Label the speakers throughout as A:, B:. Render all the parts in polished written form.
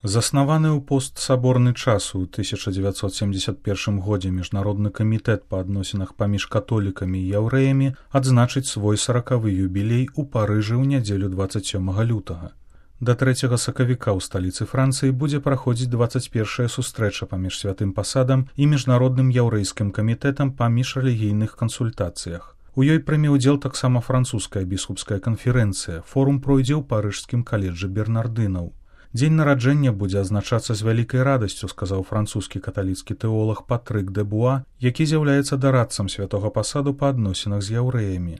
A: Заснаваны ў постсаборны час у 1971 годзе міжнародны камітэт па адносінах паміж католікамі і яўрэямі адзначыць свой 40-ы юбілей у Парыжы ў нядзелю 27 лютага. Да 3 сакавіка ў сталіцы Францыі будзе праходзіць 21-я сустрэча паміж святым пасадам і міжнародным яўрэйскім камітэтам па міжрэлігійных кансультацыях. У ёй прыме ўдзел таксама французская біскупская канферэнцыя. Форум пройдзе ў парыжскім каледжы бернардынаў. Дзень нараджэння будзе азначацца з вялікай радасцю, сказаў французскі каталіцкі тэолаг Патрык дэ Буа, які з'яўляецца дарадцам святога пасаду па адносінах з яўрэямі.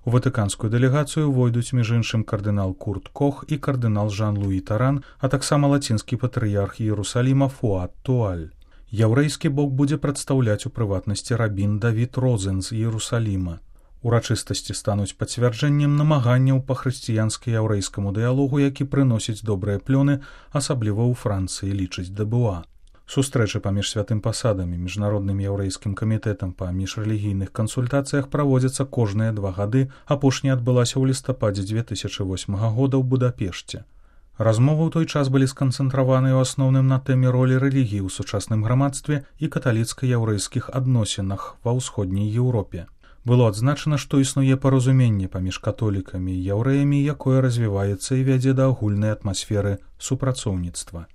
A: У ватыканскую дэлегацыю войдуць між іншым кардынал Курт Кох і кардынал Жан-Луі Таран, а таксама лацінскі патрыярх Іерусаліма Фуад Туаль. Яўрэйскі бок будзе прадстаўляць у прыватнасці рабін Давід Розен з Іерусаліма. Урачыстасці стануць пацвярджэннем намаганняў па хрысціянска-яўрэйскаму дыялогу, які прыносіць добрыя плёны, асабліва ў Францыі, лічыць дэ Буа. Сустрэчы паміж святым пасадам і міжнародным яўрэйскім камітэтам па міжрэлігійных кансультацыях праводзяцца кожныя 2 гады, апошняя адбылася ў лістападзе 2008 года ў Будапешце. Размовы ў той час былі сканцэнтраваныя ў асноўным на тэме ролі рэлігіі ў сучасным грамадстве і каталіцка-яўрэйскіх адносінах ва ўсходняй Еўропе. Было адзначана, што існуе паразуменне паміж католікамі і яўрэямі, якое развіваецца і вядзе да агульнай атмасферы супрацоўніцтва.